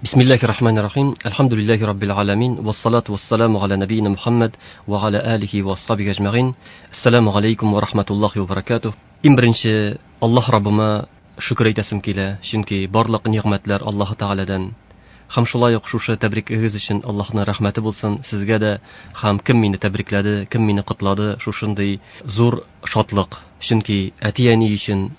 Бисмиллахи рахмани рахим. Әлхәмдүлилләһи раббил аламин. Вассалату вассаламу аля набийна Мухаммад ва аля алихи ва асхабихи ажмаин. Ассаламу алейкум ва рахматуллахи ва баракатух. Иң беренче Аллаһ Раббыма шөкер әйтәсем килә, чөнки барлык нигъмәтләр Аллаһ Тәгаләдән. Һәм шулай ук шушы тәбрикегез өчен Аллаһның рәхмәте булсын сезгә дә, һәм кем мине тәбрикләде, кем мине котлады, шушындый зур шатлык. Чөнки әти-әни өчен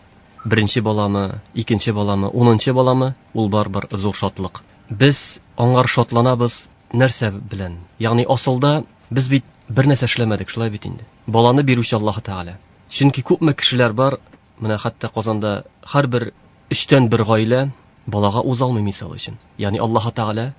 беренче баламы, икенче баламы, унынчы баламы, ул барыбер зур шатлык. Без аңар шатланабыз нәрсә белән? Ягъни асылда без бит бер нәрсә эшләмәдек, шулай бит инде. Баланы бирүче Аллаһ Тәгалә. Чөнки күпме кешеләр бар, менә хәтта Казанда һәрбер өчтән бер гаилә балага уза алмый мисал өчен. Ягъни Аллаһ Тәгалә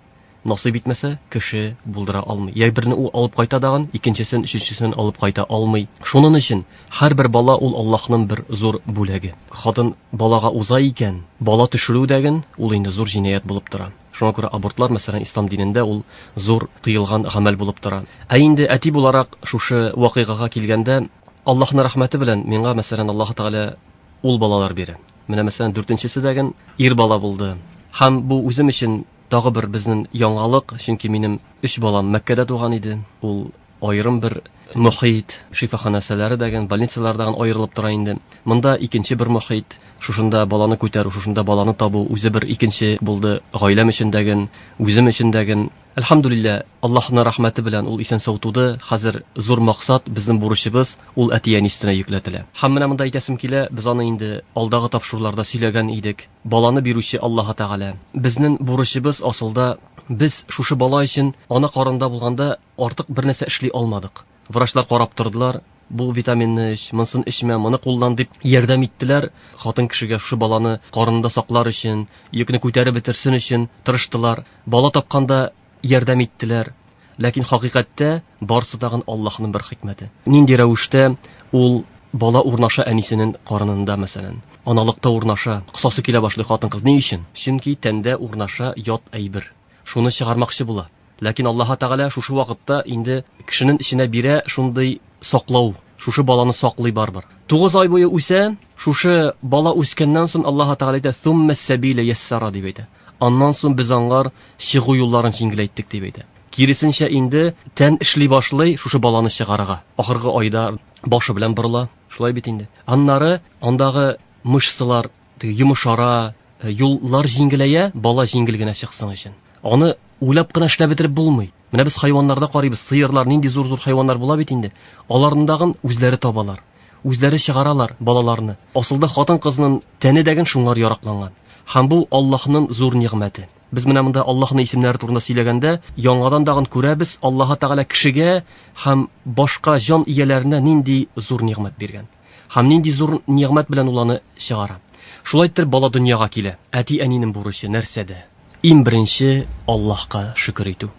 насыйп итмәсә, кеше булдыра алмый. Я берне ул алып кайта дагын, икенчесен, өченчесен алып кайта алмый. Шуның өчен һәрбер бала ул Аллаһның бер зур бүләге. Хатын балага уза икән, бала төшерү дәген ул инде зур җинаять булып тора. Шуңа күрә абортлар, мәсәлән, ислам динендә ул зур тыелган гамәл булып тора. Ә инде әти буларак шушы вакыйгага килгәндә, Аллаһның рәхмәте белән миңа, мәсәлән, Аллаһ Тәгалә ул балалар бирә. Менә, мәсәлән, дүртенчесе дәген ир бала булды. Һәм бу үзем өчен тагы бер безнең яңалык, чөнки минем өч балам Мәккәдә туган иде. Ул аерым бер мохит, шифаханәсәләре дәген, больницалардан аерылып тора инде. Монда икенче бер мохит, шушында баланы күтәрү, шушында баланы табу үзе бер икенче булды, гаиләм өчен дәген, үзем өчен дәген. Әлхәмдүлилләһ, Аллаһның рәхмәте белән ул исән-сау туды. Хәзер зур максат, безнең бурычыбыз, ул әти-әни өстенә йөкләтелә. Һәм менә монда әйтәсем килә, без аны инде алдагы тапшыруларда сөйләгән идек. Баланы бирүче Аллаһ Тәгалә. Безнең бурычыбыз асылда, без шушы бала өчен ана карында булганда артык бер нәрсә эшли алмадык. Врачлар карап тордылар, бу витаминны эч, монысын эчмә, моны куллан дип ярдәм иттеләр. Хатын кешегә шушы баланы карынында саклар өчен, йөкне күтәреп бетерсен өчен тырыштылар. Бала тапканда ярдәм иттеләр. Ләкин хакыйкатьтә барысы тагын Аллаһның бер хикмәте. Нинди рәвештә ул бала урнаша әнисенең карынында, мәсәлән, аналыкта урнаша, косасы килә башлый хатын-кыз. Ни өчен? Чөнки тәндә урнаша ят әйбер. Шуны чыгармакчы була. Ләкин Аллаһ Тәгалә шушы вакытта инде кешенең эченә бирә шундый саклау, шушы баланы саклый барыбер. 9 ай буе үсә, шушы бала үскәннән соң Аллаһ Тәгалә әйтә, Сумма сәбилә яссара дип әйтә. Аннан соң без аңар чыгу юлларын җиңеләйттек дип әйтә. Киресенчә инде тән эшли башлый шушы баланы чыгарырга. Ахыргы айда башы белән борыла, шулай бит инде. Аннары андагы мышцалар теге йомшара, юллар җиңеләя, бала җиңел генә чыксын өчен. Аны уйлап кына эшләп бетереп булмый. Менә без хайваннарда карыйбыз, сыерлар нинди зур-зур хайваннар була бит инде. Аларындагын үзләре табалар, үзләре чыгаралар балаларны. Асылда хатын-кызның тәне дәген шуңар яракланган. Һәм бу Аллаһның зур нигъмәте. Без менә монда Аллаһның исемнәре турында сөйләгәндә, яңадан тагын күрәбез, Аллаһ Тәгалә кешегә һәм башка җан ияләренә нинди зур нигъмәт биргән. Һәм нинди зур нигъмәт белән ул аны чыгара. Шулай итеп бала дөньяга килә. Әти-әнинең бурычы нәрсәдә? Иң беренче Аллаһка шөкер итү.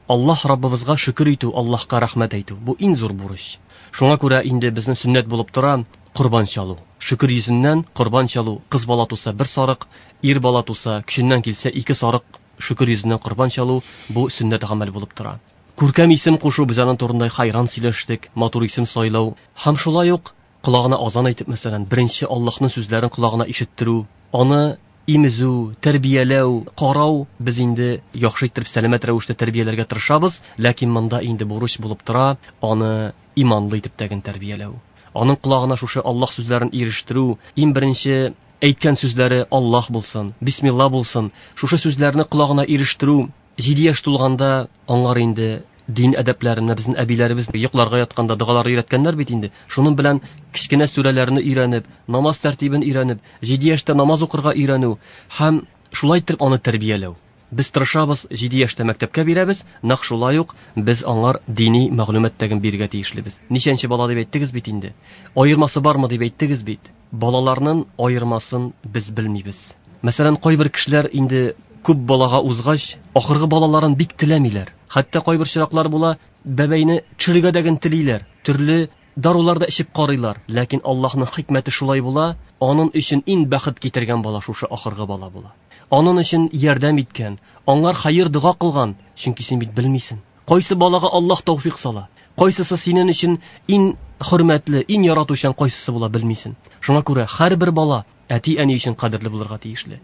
Аллаһ Раббыбызга шөкер итү, Аллаһка рәхмәт әйтү. Бу иң зур бурыч. Шуңа күрә инде безнең сөннәт булып тора корбан чалу. Шөкер йөзеннән корбан чалу, кыз бала туса бер сарык, ир бала туса, көченнән килсә ике сарык, шөкер йөзеннән корбан чалу, бу сөннәт гамәл булып тора. Күркәм исем кушу, без аның турында хайран сөйләштек, матур исем сайлау. Һәм шулай ук колагына азан әйтеп, мәсәлән, беренче Аллаһның сүзләрен колагына ишеттерү, аны имезү, тәрбияләү, карау, без инде яхшы иттереп сәламәт рәвештә тәрбияләргә тырышабыз, ләкин монда инде бурыч булып тора аны иманлы итеп тәген тәрбияләү. Аның колагына шушы Аллаһ сүзләрен ирештерү, иң беренче әйткән сүзләре Аллаһ булсын, бисмилла булсын, шушы сүзләрне колагына ирештерү. 7 яшь тулганда аңар инде дин әдәпләрен, безнең әбиләребез йокларга ятканда догалар өйрәткәннәр бит инде. Шуның белән кечкенә сүрәләрне өйрәнеп, намаз тәртибен өйрәнеп, 7 яшьтә намаз укырга өйрәнү һәм шулай итеп аны тәрбияләү. Без тырышабыз, 7 яшьтә мәктәпкә бирәбез, нәкъ шулай ук без аңар дини мәгълүмат тәген бирергә тиешлебез. Ничәнче бала дип әйттегез бит инде? Аермасы бармы дип әйттегез бит? Балаларның аермасын без белмибез. Мәсәлән, кайбер кешеләр инде күп балага узгач, ахыргы балаларын бик теләмиләр. Хәтта кайбер чираклар була, бәбәйне төшерергә дә генә телиләр. Төрле дарулар да эчеп карыйлар. Ләкин Аллаһның хикмәте шулай була, аның өчен иң бәхет китергән бала шушы ахыргы бала була. Аның өчен ярдәм иткән, аңар хәер дога кылган, чөнки син бит белмисең. Кайсы балага Аллаһ тәүфик сала? Кайсысы синең өчен иң хөрмәтле, иң яратучан кайсысы була белмисең. Шуңа күрә һәрбер бала әти-әни өчен кадерле булырга тиешле.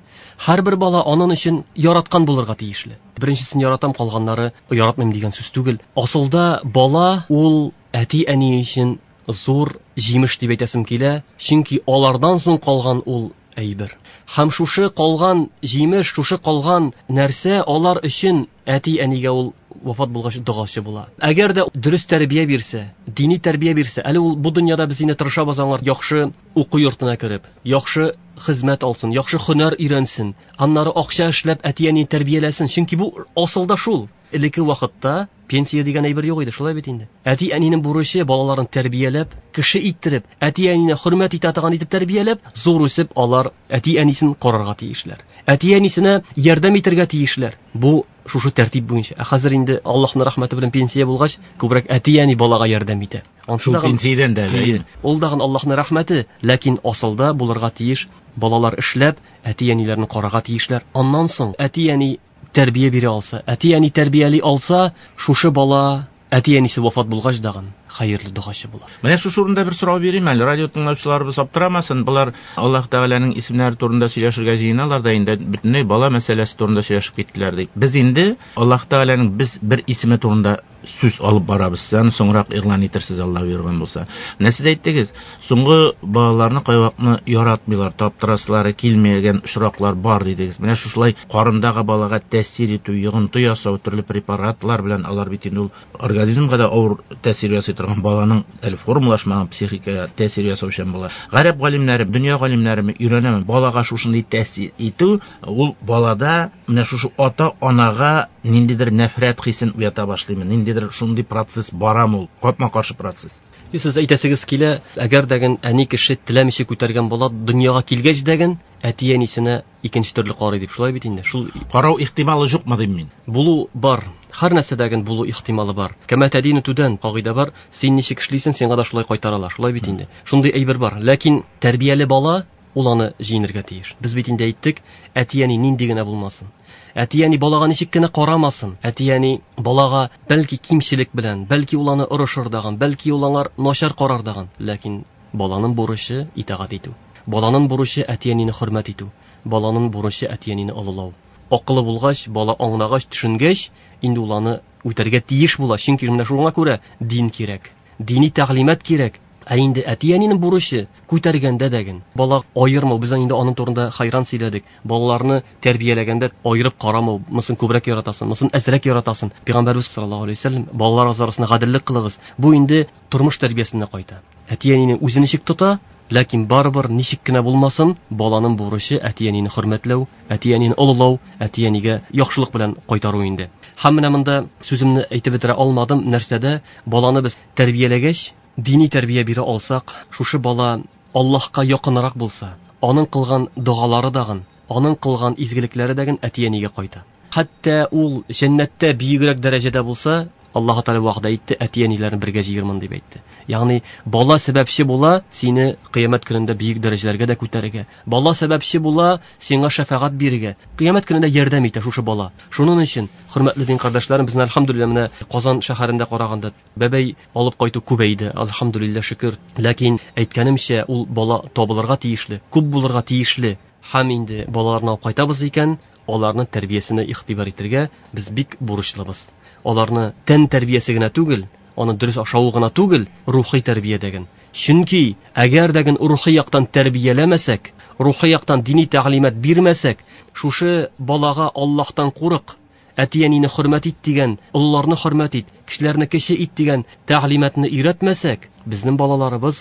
Һәрбер бала аның өчен яраткан булырга тиешле. Беренчесен яратам, калганнары яратмыйм дигән сүз түгел. Асылда бала ул әти-әни өчен зур җимеш дип әйтәсем килә, чөнки алардан соң калган ул әйбер. Һәм шушы калган җимеш, шушы калган нәрсә алар өчен әти-әнигә ул вафат булгач догачы була. Әгәр дә дөрес тәрбия бирсә, дини тәрбия бирсә, әле ул бу дөньяда без инде тырышабыз аңар яхшы уку йортына кереп, яхшы хезмәт алсын, яхшы һөнәр өйрәнсен, аннары акча эшләп әти-әнине тәрбияләсен, чөнки бу асылда шул. Элекке вакытта пенсия дигән әйбер юк иде, шулай бит инде. Әти-әнинең бурычы балаларын тәрбияләп, кеше иттереп, әти-әнине хөрмәт итә торган итеп тәрбияләп, зур үсеп алар әти-әнисен карарга тиешләр. Әти-әнисенә ярдәм итәргә тиешләр. Бу шушы тәртип буенча. Ә хәзер инде Аллаһның рәхмәте белән пенсия булгач, күбрәк әти-әни балага ярдәм итә. Шул пенсиядән дә әле. Ул дагын Аллаһның рәхмәте, ләкин асылда булырга тиеш балалар эшләп, әти-әниләрен карарга тиешләр. Аннан соң әти-әни тәрбия бирә алса, әти-әни тәрбияли алса, шушы бала әти-әнисе вафат булгач дагын хәерле догачы була. Менә шушы урында бер сорау бирим әле. Радио тыңлаучыларыбыз аптырамасын. Болар Аллаһ Тәгаләнең исемнәре турында сөйләшергә җыеналар да инде бөтенләй бала мәсьәләсе турында сөйләшеп киттеләр дип. Без инде Аллаһ Тәгаләнең без бер исеме турында сүз алып барабыз. Сез аны соңрак игълан итерсез, Аллаһ боерган булса. Менә сез әйттегез, соңгы балаларны кайвакытны яратмыйлар, таптырасылары килмәгән очраклар бар дидегез. Менә шушылай карындагы балага тәэсир итү, йогынты ясау төрле препаратлар белән алар бит инде ул организмга да авыр тәэсир ясый торган баланың әле формалашмаган психикага тәэсир ясаучан була. Гарәп галимнәре, дөнья галимнәре өйрәнәме? Балага шушындый тәэсир итү, ул балада менә шушы ата-анага ниндидер нәфрәт хисен уята башлыймы? Ниндидер шундый процесс барамы ул? Капма-каршы процесс. Сез әйтәсегез килә, әгәр дәген әни кеше теләмичә күтәргән бала дөньяга килгәч дәген әти-әнисенә икенче төрле карый дип, шулай бит инде. Шул карау ихтималы юкмы дим мин? Булу бар. Һәр нәрсәдәген булу ихтималы бар. Кәмә тәдину түдән кагыйдә бар. Син ничек эшлисең, сиңа да шулай кайтаралар. Шулай бит инде. Шундый әйбер бар. Ләкин тәрбияле бала ул аны җиңергә тиеш. Без бит инде әйттек, әти-әни нинди генә булмасын. Әти-әни балага ничек кенә карамасын. Әти-әни балага бәлки кимчелек белән, бәлки ул аны орышыр дагын, бәлки ул аңар начар карар дагын. Ләкин баланың бурычы итагать итү. Баланың бурычы әти-әнине хөрмәт итү. Баланың бурычы әти-әнине олылау. Акылы булгач, бала аңлагач, төшенгәч, инде ул аны үтәргә тиеш була. Чөнки менә шуңа күрә дин кирәк. Дини тәгълимат кирәк. Ә инде әти-әнинең бурычы күтәргәндә дәген бала аермау. Без инде аның турында хайран сөйләдек. Балаларны тәрбияләгәндә аерып карамау, монысын күбрәк яратасың, монысын әзрәк яратасың. Пәйгамбәрбез саллаллаһу алейһи вәсәлләм балалар арасында гаделлек кылыгыз. Бу инде тормыш тәрбиясенә кайта. Әти-әнине үзе ничек тота, ләкин барыбер ничек кенә булмасын, баланың бурычы әти-әнине хөрмәтләү, әти-әнине олылау, әти-әнигә яхшылык белән кайтару инде. Һәм менә монда сүземне әйтеп бетерә алмадым, нәрсәдә баланы без тәрбияләгәч, дини тәрбия бирә алсак, шушы бала Аллаһка якынрак булса, аның кылган догалары дагын, аның кылган изгелекләре дагын әти-әнигә кайта. Хәтта ул җәннәттә бөегрәк дәрәҗәдә булса, Аллаһ Тәгалә вәгъдә итте, әти-әниләрне бергә җыермын дип әйтте. Ягъни бала сәбәпче була сине кыямәт көнендә бөек дәрәҗәләргә дә күтәрергә. Бала сәбәпче була сиңа шәфәгать бирергә. Кыямәт көнендә ярдәм итә шушы бала. Шуның өчен, хөрмәтле дин кардәшләрем, безне әлхәмдүлилләһ менә Казан шәһәрендә караганда бәбәй алып кайту күбәйде, әлхәмдүлилләһ шөкер. Ләкин әйткәнемчә, ул бала табылырга тиешле, күп булырга тиешле. Һәм инде балаларны алып кайтабыз икән, аларның тәрбиясенә игътибар итәргә без бик бурычлыбыз. Аларны тән тәрбиясе генә түгел, аны дөрес ашавы гына түгел, рухи тәрбия дәген. Чөнки әгәр дәген рухи яктан тәрбияләмәсәк, рухи яктан дини тәгълимат бирмәсәк, шушы балага Аллаһтан курык, әти-әнине хөрмәт ит дигән, олыларны хөрмәт ит, кешеләрне кече ит дигән тәгълиматны өйрәтмәсәк, безнең балаларыбыз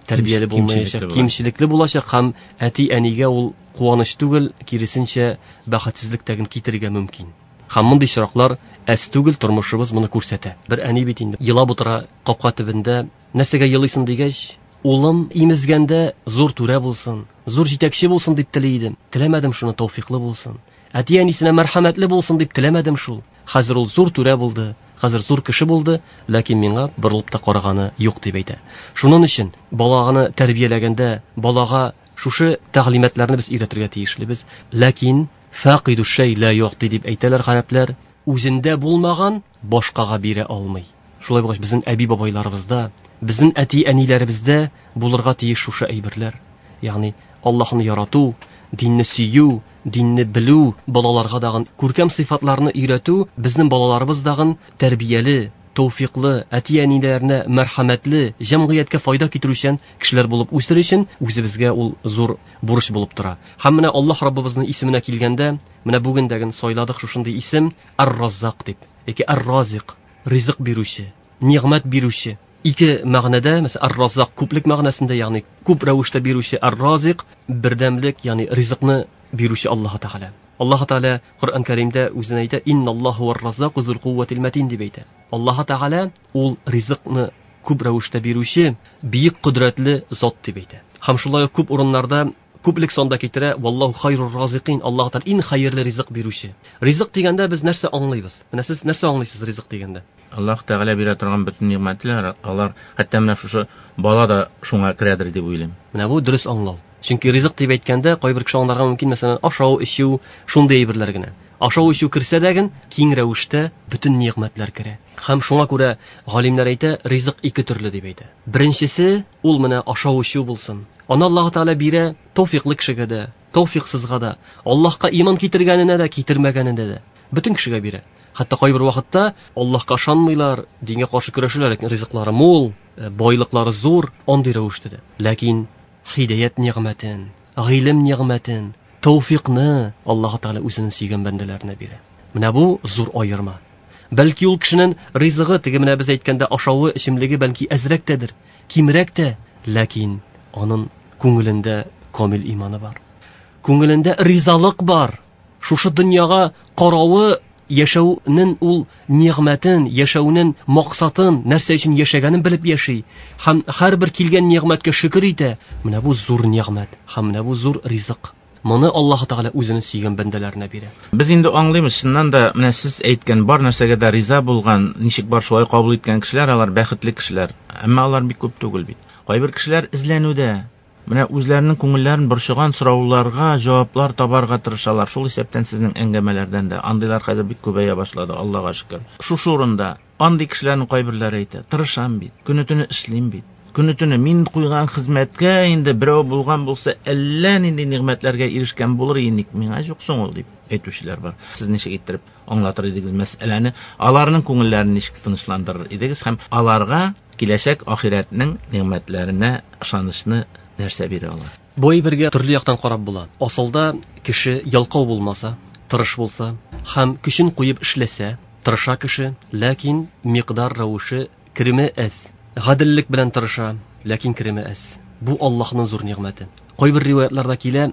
тәрбияле булмаячак, кимчелекле булачак һәм әти-әнигә ул куаныч түгел, киресенчә бәхетсезлек тәген китерергә мөмкин. Һәм мондый очраклар әз түгел, тормышыбыз моны күрсәтә. Бер әни бит инде елап утыра капка төбендә. Нәрсәгә елыйсың дигәч, улым имезгәндә зур түрә булсын, зур җитәкче булсын дип тели идем. Теләмәдем шуны, тәүфиклы булсын. Әти-әнисенә мәрхәмәтле булсын дип теләмәдем шул. Хәзер ул зур түрә булды, хәзер зур кеше булды, ләкин миңа борылып та караганы юк дип әйтә. Шуның өчен баланы тәрбияләгәндә балага шушы тәгълиматларны без өйрәтергә тиешлебез. Ләкин фақиду шәй ла юъти дип әйтәләр гарәпләр, үзендә булмаган башкага бирә алмый. Шулай булгач, безнең әби-бабайларыбызда, безнең әти-әниләребездә булырга тиеш шушы әйберләр. Ягъни Аллаһны ярату, динне сөю, динне белү, балаларга дагын күркәм сыйфатларны өйрәтү, безнең балаларыбыз дагын тәрбияле, тәүфиклы, әти-әниләренә мәрхәмәтле, җәмгыятькә файда китерүчән кешеләр булып үсер өчен үзебезгә ул зур бурыч булып тора. Һәм менә Аллаһ Раббыбызның исеменә килгәндә, менә бүген дә сайладык шушындый исем Ар-Раззак дип, яки Ар-Разик, ризык бирүче, нигъмәт бирүче. Ике мәгънәдә, мәсәлән, Ар-Раззак күплек мәгънәсендә, ягъни күп рәвештә бирүче, Ар-Разик бердәмлек, ягъни ризыкны бирүче Аллаһ Тәгалә. Аллаһ Тәгалә Коръән Кәримдә үзен әйтә, Инналлаһу вар-раззаку зул кувватил матин дип әйтә. Аллаһ Тәгалә ул ризыкны күп рәвештә бирүче, бөек кодрәтле зат дип әйтә. Һәм шулай ук күп урыннарда күплек санда китерә, валлаһу хайрур разикин, Аллаһ Тәгалә иң хәерле ризык бирүче. Ризык дигәндә без нәрсә аңлыйбыз? Менә сез нәрсә аңлыйсыз ризык дигәндә? Аллаһ Тәгалә бирә торган бөтен нигъмәтләр, алар хәтта менә шушы бала да шуңа керәдер дип уйлыйм. Менә бу дөрес аңлау. Чөнки ризык дип әйткәндә кайбер кеше аңларга мөмкин, мәсәлән, ашау, эчү, шундый әйберләр генә. Ашау, эчү керсә дә ген, киң рәвештә бөтен нигъмәтләр керә. Һәм шуңа күрә галимнәр әйтә, ризык ике төрле дип әйтә. Беренчесе, ул менә ашау, эчү булсын. Аны Аллаһ Тәгалә бирә тәүфиклы кешегә дә, тәүфиксызга да, Аллаһка иман китергәненә дә, китермәгәненә дә. Бөтен кешегә бирә. Хәтта кайбер вакытта Аллаһка ышанмыйлар, дингә каршы көрәшәләр, ләкин ризыклары мул, байлыклары зур, андый рәвештә дә. Ләкин һидаят нигъмәтен, гыйлем нигъмәтен, тәүфикны Аллаһ Тәгалә үзенең сөйгән бәндәләренә бирә. Менә бу зур аерма. Бәлки ул кешенең ризыгы, теге менә без әйткәндә ашавы, эчемлеге бәлки әзрәк тәдер, кимрәк тә, ләкин аның күңелендә камил иманы бар. Күңелендә ризалык бар. Шушы дөньяга каравы, яшәүнең ул нигъмәтен, яшәүнең максатын, нәрсә өчен яшәгәнен белеп яши. Һәм һәрбер килгән нигъмәткә шөкер итә. Менә бу зур нигъмәт һәм менә бу зур ризык. Моны Аллаһ Тәгалә үзенең сөйгән бәндәләренә бирә. Без инде аңлыйбыз, чыннан да менә сез әйткән бар нәрсәгә дә риза булган, ничек бар шулай кабул иткән кешеләр, алар бәхетле кешеләр. Әмма алар бик күп түгел бит. Кайбер кешеләр эзләнүдә, менә үзләренең күңелләрен борчыган сорауларга җаваплар табарга тырышалар. Шул исәптән сезнең әңгәмәләрдән дә андыйлар хәзер бик күбәя башлады, Аллага шөкер. Шушы урында андый кешеләрнең кайберләре әйтә: тырышам бит, көне-төне эшлим бит. Көне-төне мин куйган хезмәткә инде берәү булган булса, әллә нинди нигъмәтләргә ирешкән булыр иде, ник миңа юк соң ул дип әйтүчеләр бар. Сез ничек иттереп аңлатыр идегез мәсьәләне? Аларның күңелләрен ничек тынычландырыр идегез һәм аларга киләчәк ахирәтнең нигъмәтләренә ышанычны нәрсә бирә ала? Бу әйбергә төрле яктан карап була. Асылда кеше ялкау булмаса, тырыш булса һәм көчен куеп эшләсә, тырыша кеше, ләкин микъдар рәвеше кереме әз. Гаделлек белән тырыша, ләкин кереме әз. Бу Аллаһның зур нигъмәте. Кайбер риваятларда килә,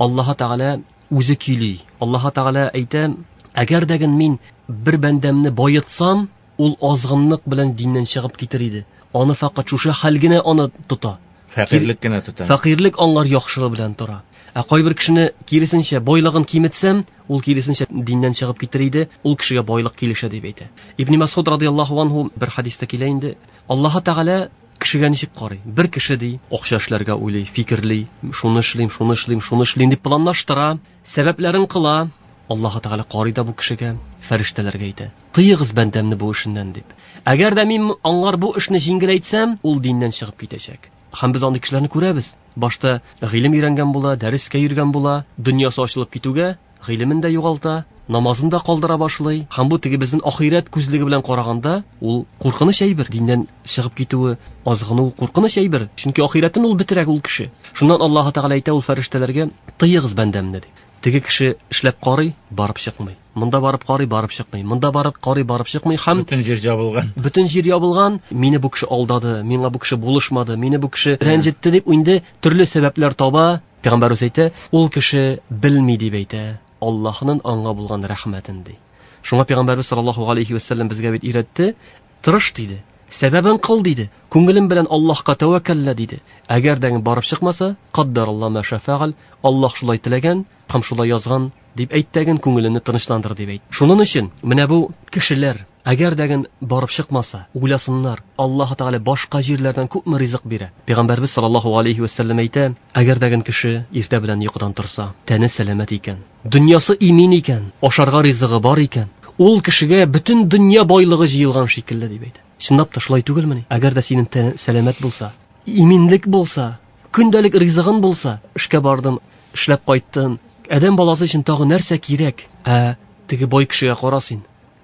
Аллаһ Тәгалә үзе көйли. Аллаһ Тәгалә әйтә, әгәр дә мин бер бәндәмне байытсам, ул азгынлык белән диннән чыгып китер иде. Аны фақат шушы хәл генә аны тота. Фәкыйрьлек кенә тота. Фәкыйрьлек аңар яхшылык белән тора. Ә кайбер кешене киресенчә байлыгын киметсәм, ул киресенчә диннән чыгып китер иде, ул кешегә байлык килешә дип әйтә. Ибн Масуд радияллаһу анһу бер хадистә килә инде, Аллаһ Тәгалә кешегә ничек карый? Бер кеше ди, акча эшләргә уйлый, фикерли, шуны эшлим, шуны эшлим, шуны эшлим дип планлаштыра, сәбәпләрен кыла. Аллаһ Тәгалә карый да бу кешегә, фәрештәләргә әйтә: "Тыегыз бәндәмне бу эшеннән" дип. Әгәр дә мин аңар бу эшне җиңеләйтсәм, ул диннән чыгып китәчәк. Һәм без андый кешеләрне күрәбез. Башта гыйлем өйрәнгән була, дәрескә йөргән була, дөньясы ачылып китүгә гыйлемен дә югалта, намазын да калдыра башлый. Һәм бу теге безнең ахирәт күзлеге белән караганда, ул куркыныч әйбер. Диннән чыгып китүе, азгыну куркыныч әйбер. Чөнки ахирәтен ул бетерә ул кеше. Шуннан Аллаһ Тәгалә әйтә ул фәрештәләргә: "Тыегыз бәндәмне" ди. Теге кеше эшләп карый, барып чыкмый. Монда барып карый, барып чыкмый. Монда барып карый, барып чыкмый. Һәм бөтен җир ябылган. Бөтен җир ябылган. Мине бу кеше алдады, миңа бу кеше булышмады, мине бу кеше рәнҗетте дип инде төрле сәбәпләр таба. Пәйгамбәрбез әйтә, ул кеше белми дип әйтә, Аллаһның аңа булган рәхмәтен ди. Шуңа Пәйгамбәрбез саллаллаһу алейхи ва саллям безгә бит өйрәтте, тырыш диде, сәбәбен кыл диде, күңелем белән Аллаһка тәвәккәллә диде. Әгәр дә барып чыкмаса, каддараллаһу ма шафагал, Аллаһ шулай теләгән һәм шулай язган дип әйттәген, күңеленне тынычландыр дип әйт. Шуның өчен менә бу кешеләр әгәр дә барып чыкмаса, уйласыннар, Аллаһ Тәгалә башка җирләрдән күпме ризык бирә. Пәйгамбәрбез саллаллаһу алейхи ва саллям әйтә, әгәр дә кеше иртә белән йокыдан торса, тәне сәламәт икән, дөньясы имин икән, ашарга ризыгы бар икән, ул кешегә бөтен дөнья байлыгы җыелган шикелле дип әйтә. Чынлап та шулай түгелмени? Әгәр дә синең тән сәламәт булса, иминлек булса, көндәлек ризыгың булса, эшкә бардың, эшләп кайттың, адәм баласы өчен тагы нәрсә кирәк? Ә теге бай кешегә кара син.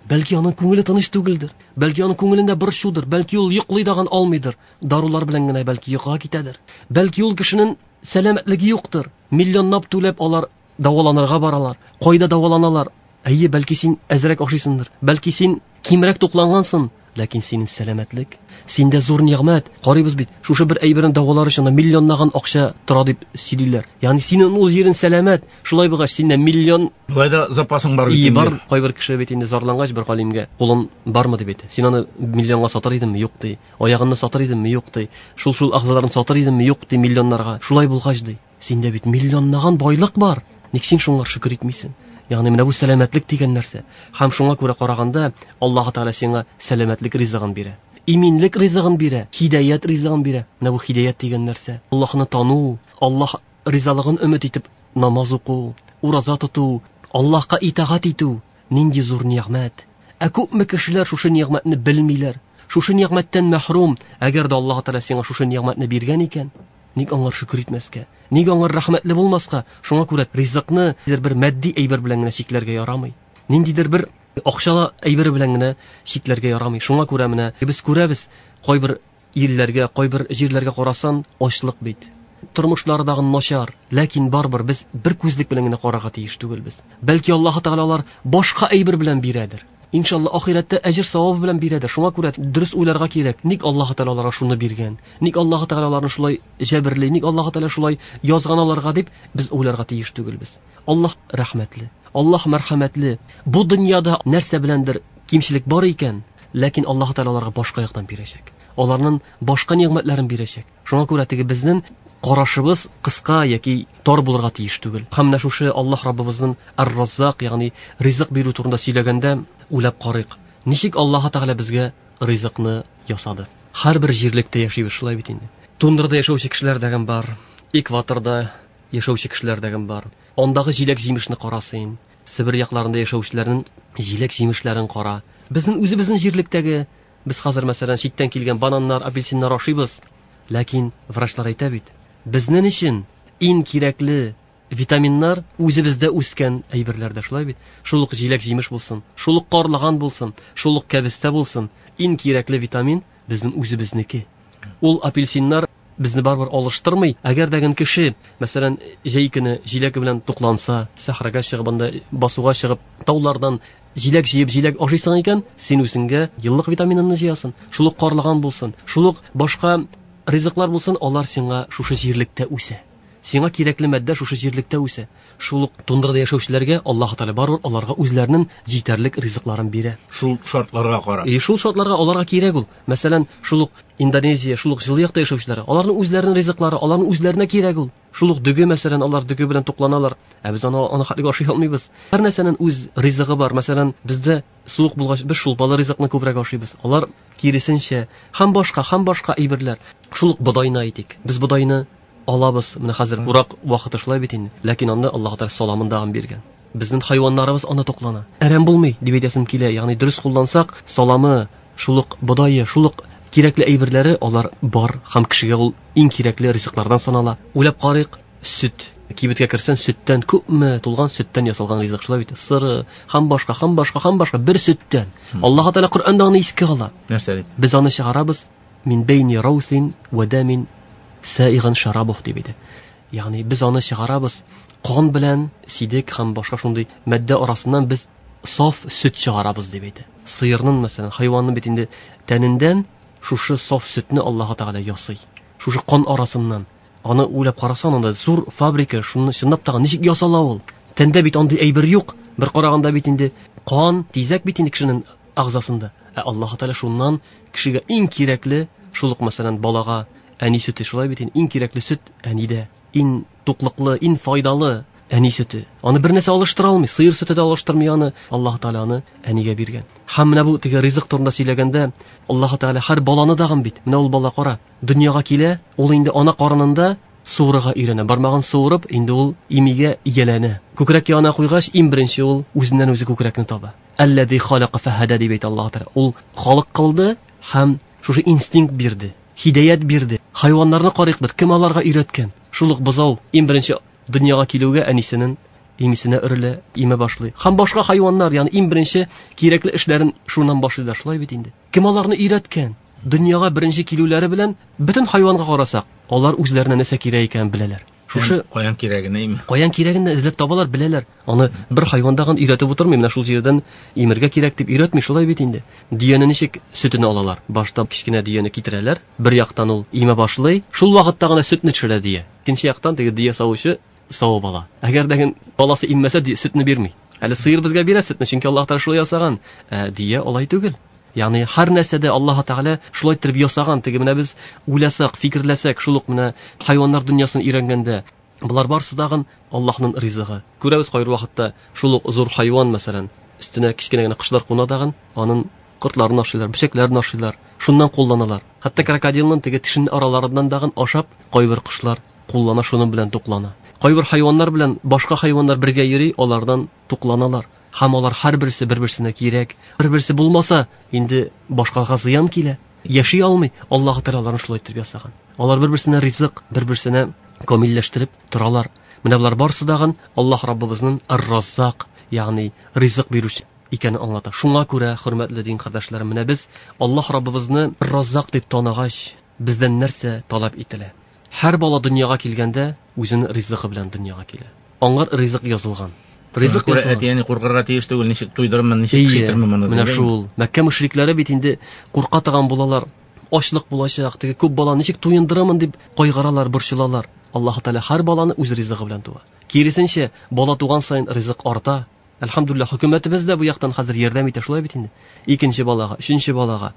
Бәлки аның күңеле тыныч түгелдер, бәлки аның күңелендә борчудыр, бәлки ул йоклый дагын алмыйдыр, дарулар белән генә бәлки йокыга китәдер. Бәлки ул кешенең сәламәтлеге юктыр. Миллионлап түләп алар дәваланырга баралар. Кайда дәваланалар? Әйе, бәлки син әзрәк ашыйсыңдыр, бәлки син кимрәк туклангансың, ләкин синең сәламәтлек, синдә зур нигъмәт. Карыйбыз бит, шушы бер әйберне дәвалар өчен миллионлаган акча тора дип сөйлиләр. Ягъни синең ул җирен сәламәт, шулай булгач синдә миллион Болай да запасың бар бит. Бар, кайбер кеше бит инде зарлангач бер галимгә, кулың бармы дип әйтә. Син аны миллионга сатыр идеңме? Юк ди. Аягыңны сатыр идеңме? Юк ди. Шул-шул әгъзаларын сатыр идеңме? Юк ди миллионнарга. Шулай булгач ди, синдә бит миллионлаган байлык бар. Ник син шуңа шөкер итмисең? Ягъни менә бу сәламәтлек дигән нәрсә. Һәм шуңа күрә караганда Аллаһ Тәгалә сиңа сәламәтлек ризыгын бирә, иминлек ризыгын бирә, һидаят ризыгын бирә. Менә бу һидаят дигән нәрсә. Аллаһны тану, Аллаһ ризалыгын өмет итеп намаз уку, ураза тоту, Аллаһка итагать итү нинди зур нигъмәт. Ә күпме кешеләр шушы нигъмәтне белмиләр, шушы нигъмәттән мәхрүм. Әгәр дә Аллаһ Тәгалә сиңа шушы нигъмәтне биргән икән, ник аңар шөкер итмәскә? Ник аңар рәхмәтле булмаска? Шуңа күрә ризыкны бер матди әйбер белән генә чикләргә ярамый. Ниндидер бер акчалы әйбер белән генә чикләргә ярамый. Шуңа күрә менә без күрәбез, кайбер илләргә, кайбер җирләргә карасан, ачлык бит. Тормышлары дагы начар, ләкин барыбер без бер күзлек белән генә карарга тиеш түгелбез. Бәлки Аллаһ Тәгалә алар башка әйбер белән бирәдер. Иншалла ахирәттә әҗер савабы белән бирәдер. Шуңа күрә дөрес уйларга кирәк. Ник Аллаһ Тәгалә аларга шуны биргән? Ник Аллаһ Тәгалә аларны шулай җәберли? Ник Аллаһ Тәгалә шулай язган аларга дип без уйларга тиеш түгелбез. Аллаһ рәхмәтле, Аллаһ мәрхәмәтле. Бу дөньяда нәрсә беләндер кимчелек бар икән, ләкин Аллаһ Тәгалә аларга башка яктан бирәчәк. Аларның башка нигъмәтләрен бирәчәк. Шуңа күрә теге безнең карашыбыз кыска яки тар булырга тиеш түгел. Һәм менә шушы Аллаһ Раббыбызның Ар-Раззак, ягъни ризык бирү турында сөйләгәндә уйлап карыйк. Ничек Аллаһ Тәгалә безгә ризыкны ясады? Һәрбер җирлектә яшибез шулай бит инде. Тундрада яшәүче кешеләр дәген бар, экваторда яшәүче кешеләр дәген бар. Андагы җиләк-җимешне кара син. Себер якларында яшәүчеләрнең җиләк-җимешләрен кара. Безнең үзебезнең җирлектәге, без хәзер мәсәлән читтән килгән бананнар, апельсиннар ашыйбыз. Ләкин врачлар әйтә бит, безнең өчен иң кирәкле витаминнар үзебездә үскән әйберләрдә, шулай бит. Шул ук җиләк-җимеш булсын, шул ук карлыган булсын, шул ук кәбестә булсын, иң кирәкле витамин безнең үзебезнеке. Ул апельсиннар безне барыбер алыштырмый. Әгәр дә гын кеше, мәсәлән, җәй көне җиләк белән тукланса, сәхрәгә чыгып, анда басуга чыгып, таулардан җиләк җыеп, җиләк ашыйсың икән, син үзеңгә еллык витаминыңны җыясың. Шул ук карлыган булсын, шул ук башка ризыклар булсын, алар сиңа шушы җирлектә үсә. Сиңа кирәкле матдә шушы җирлектә үсә. Шул ук тундрада яшәүчеләргә Аллаһ Тәгалә барыбер аларга үзләренең җитәрлек ризыкларын бирә. Шул шартларга карап. И шул шартларга аларга кирәк ул. Мәсәлән, шул ук Индонезия, шул ук җылы якта яшәүчеләр, аларның үзләренең ризыклары, аларның үзләренә кирәк ул. Шул ук дөге, мәсәлән, алар дөге белән тукланалар. Ә без аны хәтлек ашый алмыйбыз. Һәр нәрсәнең үз ризыгы бар. Мәсәлән, бездә суык булгач, без шулпалы ризыкны күбрәк ашыйбыз. Алар киресенчә, һәм башка, һәм башка әйберләр. Шул ук бодайны әйтик. Без бодайны алабыз, менә хәзер урак вакыты шулай бит инде. Ләкин анда Аллаһ Тәгалә саламын да биргән. Безнең хайваннарыбыз аны туклана. Әрәм булмый дип әйтәсем килә. Ягъни дөрес куллансак, саламы, шул ук бодае, шул ук кирәкле әйберләре алар бар һәм кешегә ул иң кирәкле ризыклардан санала. Уйлап карыйк, сөт. Кибеткә керсәң, сөттән күпме тулган сөттән ясалган ризык шулай бит. Сыры, һәм башка, һәм башка, һәм башка бер сөттән. Аллаһ Тәгалә Коръәндә аны искә ала. Нәрсә дип? Без аны чыгарабыз мин бейни раусин ва дамин саиган шарабух дип әйтә. Ягъни без аны чыгарабыз кан белән сидек һәм башка шундый матдә арасыннан без саф сөт чыгарабыз дип әйтә. Сыерның, мәсәлән, хайванның бит инде тәнендән шушы саф сөтне Аллаһ Тәгалә ясый. Шушы кан арасыннан. Аны уйлап карасаң, анда зур фабрика, шуны чынлап та ничек ясала ул? Тәндә бит андый әйбер юк. Бер караганда бит инде кан, тизәк бит инде кешенең агзасында. Ә Аллаһ Тәгалә шуннан кешегә иң кирәкле, шул ук, мәсәлән, балага әни сөте шулай бит инде, иң кирәкле сөт әнидә. Иң туклыклы, иң файдалы әни сөте. Аны бер нәрсә алыштыра алмый, сыер сөте дә алыштырмый аны. Аллаһ Тәгалә аны әнигә биргән. Һәм менә бу теге ризык турында сөйләгәндә, Аллаһ Тәгалә һәр баланы дагын бит. Менә ул бала кара, дөньяга килә, ул инде ана карынында суырырга өйрәнә. Бармагын суырып, инде ул имигә ияләнә. Күкрәк янына куйгач, иң беренче ул үзеннән үзе күкрәкне таба. Әлләзи халака фәһәдә дип әйтә Аллаһ Тәгалә. Ул халык кылды Һәм шушы инстинкт бирде, һидаят бирде. Хайваннарны карыйк бит, кем аларга өйрәткән? Шул ук бозау иң беренче дөньяга килүгә әнисенең имисенә өрелә, имә башлый. Һәм башка хайваннар, ягъни иң беренче кирәкле эшләрен шуннан башлыйлар, шулай бит инде. Кем аларны өйрәткән? Дөньяга беренче килүләре белән бөтен хайванга карасак, алар үзләренә нәрсә кирәк икәнен беләләр. Шушы каян кирәген әйме? Каян кирәген дә эзләп табалар, беләләр. Аны бер хайвандагын өйрәтеп утырмый, менә шул җирдән имергә кирәк дип өйрәтми, шулай бит инде. Дөяне ничек сөтен алалар? Башта кечкенә дөяне китерәләр, бер яктан ул имә башлый, шул вакытта гына сөтне төшерә дөя. Икенче яктан теге дөя савучы савып ала. Әгәр дә баласы иммәсә, сөтне бирми. Әле сыер безгә бирә сөтне, чөнки Аллаһ Тәгалә шулай ясаган. Ә дөя алай түгел. Ягъни һәр нәрсәдә Аллаһ Тәгалә шулай иттереп ясаган. Теге менә без уйласак, фикерләсәк, шул ук менә хайваннар дөньясын өйрәнгәндә, болар барысы тагын Аллаһның ризыгы. Күрәбез кайбер вакытта шул ук зур хайван, мәсәлән, өстенә кечкенә генә кошлар куна тагын, аның кортларын ашыйлар, бөчәкләрен ашыйлар, шуннан кулланалар. Хәтта крокодилның теге тешен араларыннан тагын ашап, кайбер кошлар куллана, шуның белән туклана. Кайбер хайваннар белән башка хайваннар бергә йөри, алардан тукланалар. Һәм алар һәрберсе бер-берсенә кирәк. Бер-берсе булмаса, инде башкага зыян килә. Яши алмый. Аллаһ Тәгалә аларны шулай итеп ясаган. Алар бер-берсенә ризык, бер-берсенә камилләштереп торалар. Менә болар барысы дагын Аллаһ Раббыбызның Ар-Раззак, ягъни ризык бирүче икәнен аңлата. Шуңа күрә, хөрмәтле дин кардәшләрем, менә без Аллаһ Раббыбызны Ар-Раззак дип таныгач, бездән нәрсә таләп ителә? Һәр бала дөньяга килгәндә үзенең ризыгы белән дөньяга килә. Аңар ризык язылган. Ризык язылган. Әти-әни куркырга тиеш түгел, ничек туйдырырмын, ничек пешертермен моны. Менә шул. Мәккә мөшрикләре бит инде курка торган булалар. Ачлык булачак, теге күп бала ничек туендырамын дип кайгыралар, борчылалар. Аллаһ Тәгалә һәр баланы үз ризыгы белән туа. Киресенчә, бала туган саен ризык арта. Әлхәмдүлилләһ, хөкүмәтебез дә бу яктан хәзер ярдәм итә, шулай бит инде. Икенче балага, өченче балага,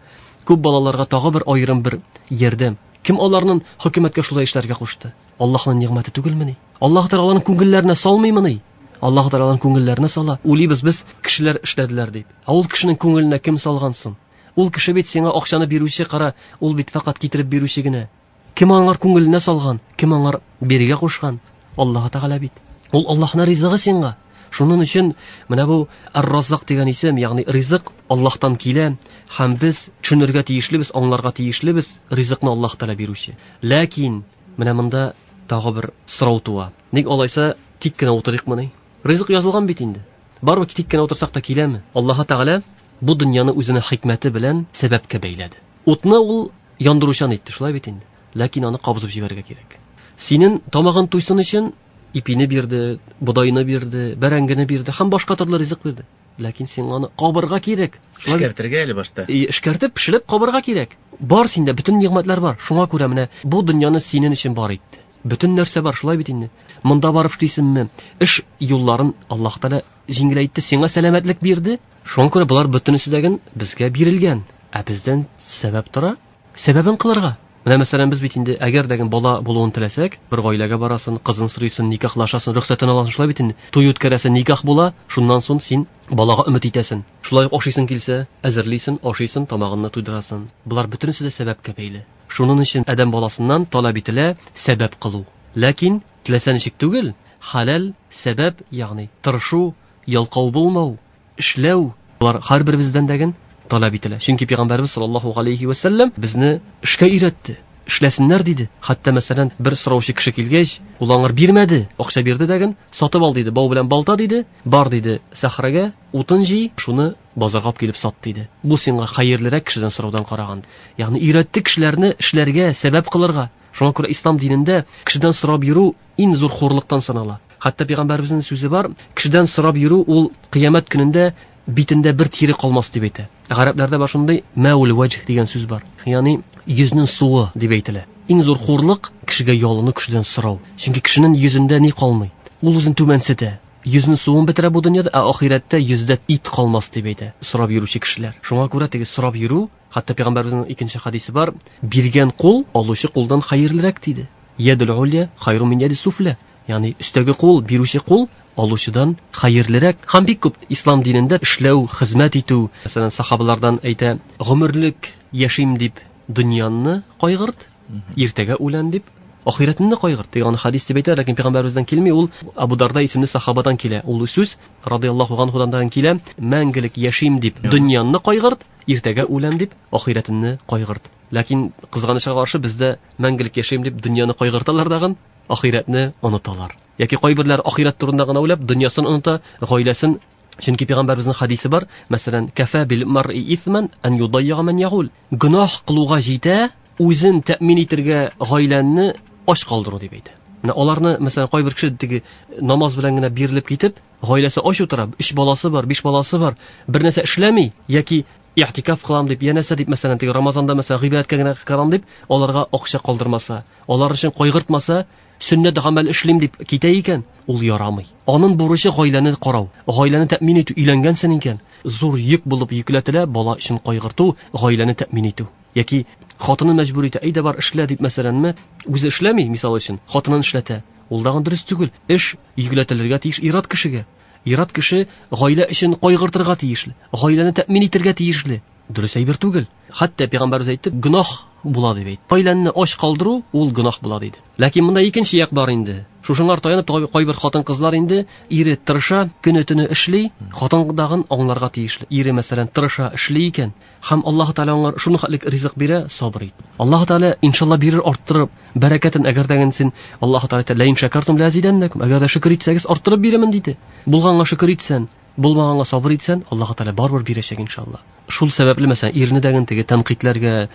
күп балаларга тагы бер аерым бер ярдәм. Кем аларның хөкүмәткә шулай эшләргә кушты? Аллаһның нигъмәте түгелмени? Аллаһ Тәгалә аларның күңелләренә салмыймыни? Аллаһ Тәгалә аларның күңелләренә сала. Уйлыйбыз без, кешеләр эшләделәр дип. Ә ул кешенең күңеленә кем салган соң? Ул кеше бит сиңа акчаны бирүче, кара, ул бит фәкать китереп бирүче генә. Кем аңар күңеленә салган? Кем аңар бирергә кушкан? Аллаһ Тәгалә бит. Ул Аллаһның ризыгы сиңа. Шуның өчен менә бу Ар-Раззак дигән исем, ягъни ризык Аллаһтан килә, һәм без төшенергә тиешлебез, аңларга тиешлебез, ризыкны Аллаһ Тәгалә бирүче. Ләкин менә монда тагы бер сорау туа. Ник алайса тик кенә утырыйкмыни? Ризык язылган бит инде. Барыбер тик кенә утырсак та киләме? Аллаһ Тәгалә бу дөньяны үзенең хикмәте белән сәбәпкә бәйләде. Утны ул яндыручан итте, шулай бит инде. Ләкин аны кабызып җибәрергә кирәк. Синең тамагың туйсын өчен ипине бирде, бодайны бирде, бәрәңгене бирде һәм башка төрле ризык бирде. Ләкин син аны кабырга кирәк. Эшкәртергә әле башта. Эшкәртеп, пешереп кабырга кирәк. Бар синдә бөтен нигъмәтләр бар. Шуңа күрә менә бу дөньяны синең өчен бар итте. Бөтен нәрсә бар, шулай бит инде. Монда барып эшлисеңме? Эш юлларын Аллаһ Тәгалә җиңеләйтте, сиңа сәламәтлек бирде. Шуңа күрә болар бөтенесе дә безгә бирелгән. Ә бездән сәбәп тора, сәбәбен кылырга. Менә мәсәлән без бит инде әгәр дә бала булуын теләсәк, бер гаиләгә барасың, кызын сорыйсың, никахлашасың, рөхсәтен аласың, шулай бит инде. Туй үткәрәсең, никах була, шуннан соң син балага өмет итәсең. Шулай ук ашыйсың килсә, әзерлисең, ашыйсың, тамагыңны туйдырасың. Болар бөтенесе дә сәбәпкә бәйле. Шуның өчен адәм баласыннан таләп ителә сәбәп кылу. Ләкин теләсә ничек түгел, хәләл сәбәп, ягъни тырышу, ялкау булмау, эшләү, болар һәрберебездән дә таләп ителә. Чөнки Пәйгамбәрбез саллаллаһу алейхи ва саллям безне эшкә өйрәтте. Эшләсеннәр диде. Хәтта мәсәлән, бер сораучы кеше килгәч, ул аңар бирмәде, акча бирде дәген, сатып ал диде, бау белән балта диде, бар диде сахрага, утын җый, шуны базарга алып килеп сат диде. Бу сиңа хәерлерәк кешедән сораудан караган. Ягъни өйрәтте кешеләрне эшләргә, сәбәп кылырга. Шуңа күрә ислам динендә кешедән сорап йөрү иң зур хурлыктан санала. Хәтта Пәйгамбәребезнең сүзе бар, кешедән сорап йөрү ул кыямәт көнендә битендә бер тире калмас дип әйтә. Гарәпләрдә бар шундый мәул вәҗһ дигән сүз бар. Ягъни йөзнең суы дип әйтелә. Иң зур хурлык кешегә ялыну, кешедән сорау. Чөнки кешенең йөзендә ни калмый? Ул үзен түбәнсетә. Йөзнең суын бетерә бу дөньяда, ә ахирәттә йөздә ит калмас дип әйтә. Сорап йөрүче кешеләр. Шуңа күрә теге сорап йөрү, хәтта Пәйгамбәребезнең икенче хадисе бар, биргән кул алучы кулдан хәерлерәк диде. Ядул улья хайру мин яди суфля. Ягъни өстәге кул, бирүче кул алучыдан хәерлерәк. Һәм бик күп ислам динендә эшләү, хезмәт итү, мәсәлән, сахабалардан әйтә, гомерлек яшим дип дөньяны кайгырт, иртәгә үлән дип ахирәтне кайгырт дигән хадис дип әйтә, ләкин пәйгамбәребездән килми, ул Абу Дарда исемле сахабадан килә. Ул сүз радияллаһу анһудан килә, мәңгелек яшим дип дөньяны кайгырт, Иртәгә үләм дип, ахирәтеңне кайгырт. Ләкин кызганычка каршы бездә мәңгелек яшәйм дип дөньяны кайгырталар дагын, ахирәтне оныталар. Яки кайберләр ахирәт турында гына уйлап, дөньясын оныта, гаиләсен. Чөнки пәйгамбәребезнең хадисе бар, мәсәлән, кафа бил мар'i исман ан юдайя ман ягул. Гөнаһ кылуга җитә, үзен тәэмин итергә гаиләне ач калдыру дип әйтә. Менә аларны, мәсәлән, кайбер кеше теге намаз белән генә бирелеп китеп, гаиләсе ач утыра, 3 баласы бар, 5 баласы бар, бер нәрсә эшләми яки ихтикаф кылам дип, я нәрсә дип, мәсәлән, теге Рамазанда мәсәлән гыйбадәткә генә кылам дип, аларга акча калдырмаса, алар өчен кайгыртмаса, сөннәт гамәл эшлим дип китә икән, ул ярамый. Аның бурычы гаиләне карау, гаиләне тәэмин итү. Өйләнгәнсең икән, зур йөк булып йөкләтелә бала өчен кайгырту, гаиләне тәэмин итү. Яки хатыны мәҗбүр итә, әйдә бар эшлә дип, мәсәләнме, үзе эшләми, мисал өчен, хатынын эшләтә. Ул дагын дөрес түгел. Эш йөкләтелергә тиеш ир-ат кешегә. Ир-ат кеше гаилә өчен кайгыртырга тиешле, гаиләне тәэмин итәргә тиешле. Дөрес әйбер түгел. Хәтта пәйгамбәребез әйтте, гөнаһ була дип әйтте. Гаиләне ач калдыру ул гөнаһ була диде. Ләкин монда икенче як бар инде. Шушыңар таянып кайбер хатын-кызлар инде ире тырыша, көне-төне эшли, хатын дагын аңларга тиешле. Ире мәсәлән тырыша, эшли икән, һәм Аллаһ Тәгалә аңар шуны хәтлек ризык бирә, сабыр ит. Аллаһ Тәгалә иншалла бирер арттырып, бәрәкәтен, әгәр дә син Аллаһ Тәгалә әйтә, ләин шәкәртум ләзидәннәкум, әгәр дә шөкер итсәгез арттырып бирермен диде. Булганга шөкер итсән, булмаганга сабыр итсән, Аллаһ Тәгалә барыбер бирәчәк иншалла. Шул сәбәпле мәсәлән ирне дәген теге тәнкыйтьләргә,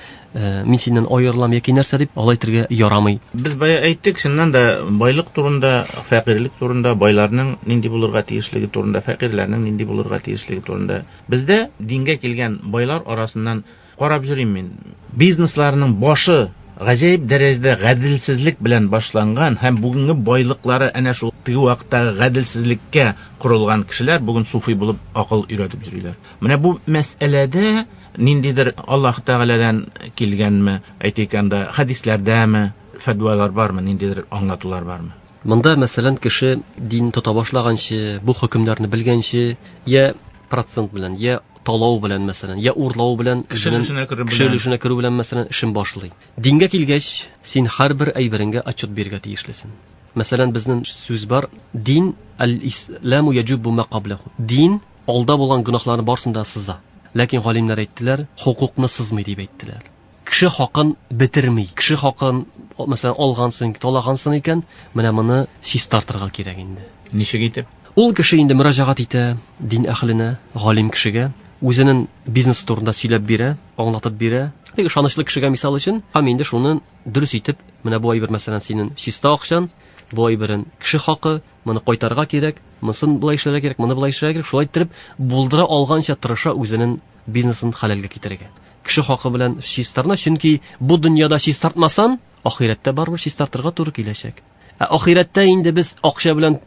мин синнән аерылам яки нәрсә дип алай әйтергә ярамый. Без бая әйттек, чыннан да байлык турында, фәкыйрьлек турында, байларның нинди булырга тиешлеге турында, фәкыйрьләрнең нинди булырга тиешлеге турында. Бездә дингә килгән байлар арасыннан карап йөрим мин. Бизнесларының башы гаҗәеп дәрәҗәдә гаделсезлек белән башланган һәм бүгенге байлыклары әнә шул теге вакыттагы гаделсезлеккә корылган кешеләр бүген суфи булып акыл өйрәтеп йөриләр. Менә бу мәсьәләдә ниндидер Аллаһ Тәгаләдән килгәнме, әйтик анда хәдисләрдәме, фәтвалар бармы, ниндидер аңлатулар бармы? Монда мәсәлән кеше дин тота башлаганчы, бу хөкемнәрне белгәнче, я процент белән, я талау белән мәсәлән, я урлау белән, кеше өлешенә керү белән мәсәлән эшен башлый. Дингә килгәч, син һәрбер әйбереңгә отчет бирергә тиешлесең. Мәсәлән, безнең сүз бар, дин аль-исламу яҗуббу ма каблаху. Дин алда булган гөнаһларны барысын да сыза. Ләкин галимнәр әйттеләр, хукукны сызмый дип әйттеләр. Кеше хакын бетерми. Кеше хакын, мәсәлән, алгансың, талагансың икән, менә моны чистартырга кирәк инде. Ничек итеп? Ул кеше инде мөрәҗәгать итә дин әһленә, галим кешегә, үзенең бизнес турында сөйләп бирә, аңлатып бирә. Теге ышанычлы кешегә мисал өчен, һәм инде шуны дөрес итеп, менә бу әйбер мәсәлән синең чиста акчан, бу әйберен кеше хакы, моны кайтарырга кирәк, монысын болай эшләргә кирәк, моны болай эшләргә кирәк, шулай иттереп булдыра алганча тырыша үзенең бизнесын хәләлгә китерергә. Кеше хакы белән чистарына, чөнки бу дөньяда чистартмасан, ахирәттә барыбер чистартырга туры киләчәк. Ә ахирәттә инде без акча белән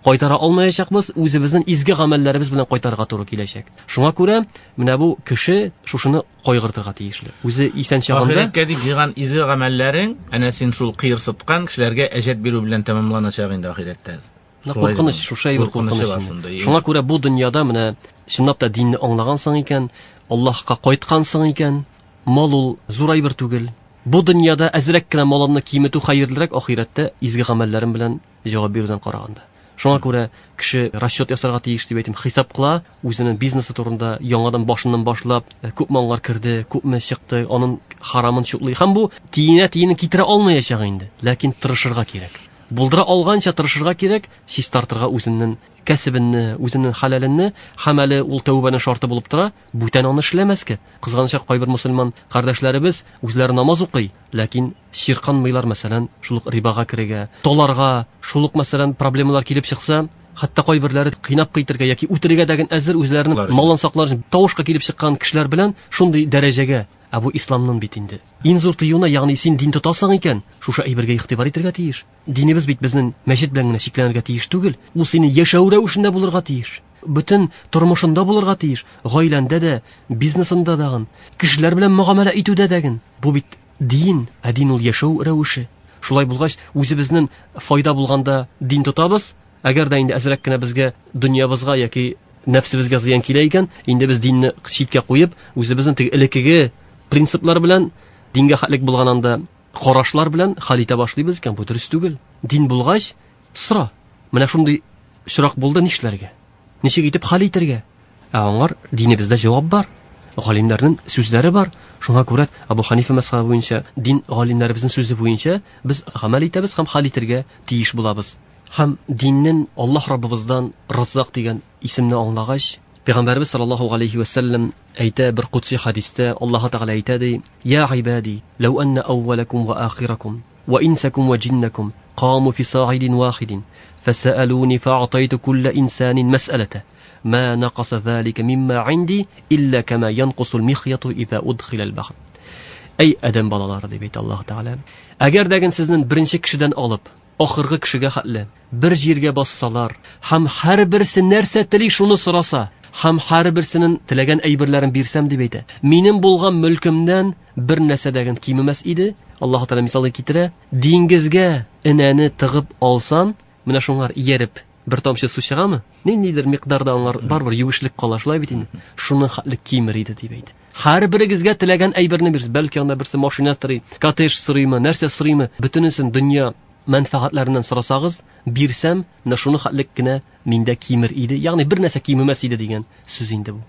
кайтара алмаячакбыз, үзебезнең изге гамәлләребез белән кайтарырга туры киләчәк. Шуңа күрә менә бу кеше шушыны кайгыртырга тиешле. Үзе исән чагында ахирәткә дип җыйган изге гамәлләрең әнә син шул кыерсыткан кешеләргә әҗәт бирү белән тәмамланачак инде ахирәттә. Куркыныч, шушы әйбер куркыныч. Шуңа күрә бу дөньяда менә чынлап та динне аңлагансың икән, Аллаһка кайткансың икән, мал ул зур әйбер түгел. Бу дөньяда әзрәк кенә малыңны киметү хәерлерәк ахирәттә изге гамәлләрең белән җавап бирүдән караганда. Шуңа күрә кеше расчет ясарга тиеш дип әйтим, хисап кыла, үзенең бизнесы турында яңадан башыннан башлап, күпме аңар керде, күпме чыкты, аның харамын чутлый. Һәм бу тиенә-тиенен китерә алмаячак инде, ләкин тырышырга кирәк. Булдыра алганча тырышырга кирәк, чистартырга үзенең кәсебенне, үзенең хәләленне, һәм әле ул тәүбәнең шарты булып тора, бүтән аны эшләмәскә. Кызганычка, кайбер мусульман кардәшләребез үзләре намаз укый, ләкин чирканмыйлар, мәсәлән, шул ук рибага керергә, толарга, шул ук, мәсәлән, проблемалар килеп чыкса, хәтта кайберләре кыйнап кайтырга яки үтерергә дәген әзер үзләренең малын саклар өчен тавышка килеп чыккан кешеләр белән шундый дәрәҗәгә. Ә бу исламның бит инде. Иң зур тыюына, ягъни син дин тотасың икән, шушы әйбергә игътибар итәргә тиеш. Динебез бит безнең мәчет белән генә чикләнергә тиеш түгел, ул синең яшәү рәвешендә булырга тиеш. Бөтен тормышында булырга тиеш, гаиләндә дә, бизнесында дагын, кешеләр белән мөгамәлә итүдә дәген. Бу бит дин, ә дин ул яшәү рәвеше. Шулай булгач, үзебезнең файда булганда дин тотабыз, әгәр дә инде әзрәк кенә безгә дөньябызга яки нәфсебезгә зыян килә икән, инде без динне читкә куеп, үзебезнең теге элеккеге принциплар белән, дингә хәтлек булган анда карашлар белән хәл итә башлыйбыз икән, бу дөрес түгел. Дин булгач, сора. Менә шундый очрак булды, нишләргә? Ничек итеп хәл итәргә? Ә аңар динебездә җавап бар. Галимнәрнең сүзләре бар. Шуңа күрә Абу Ханифа мәзһәбе буенча, дин галимнәребезнең сүзе буенча без гамәл итәбез һәм хәл итәргә тиеш булабыз. Һәм диннең Аллаһ Раббыбыздан Раззак дигән исемне аңлагач, Пәйгамбәрбез саллаллаһу алейхи ва саллям әйтә бер кудси хадистә, Аллаһ Тәгалә әйтә ди: "Я гыйбади, лау анна әүвәләкум ва ахиракум ва инсакум ва джиннакум قاموا في صاعد واحد فسألوني فأعطيت كل إنسان مسألته ما نقص ذلك مما عندي إلا كما ينقص المخيط إذا أدخل البحر." Әй адәм балалары дип әйтә Аллаһ Тәгалә. Әгәр дә сезнең беренче кешедән алып ахыргы кешегә хәтле бер җиргә бассалар һәм һәрберсе нәрсә тели шуны сораса һәм һәрберсенең теләгән әйберләрен бирсәм дип әйтә, минем булган мөлкемнән бер нәрсә дә кимемәс иде. Аллаһ Тәгалә мисалын китерә: диңгезгә энәне тыгып алсан, менә шуңар ияреп бер тамчы су чыгамы? Ниндидер микъдарда аңар барыбер юешлек кала, шулай бит инде. Шуны хәтле кимер иде дип әйтә. Һәрберегезгә теләгән әйберне бирсә, бәлки анда берсе машина сорый, коттедж сорыймы, нәрсә сорыймы, бөтенесен дөнья мәнфәгатьләреннән сорасагыз, бирсәм, менә шуны хәтлек кенә миндә кимер иде, ягъни бер нәрсә кимемәс иде дигән сүз инде бу.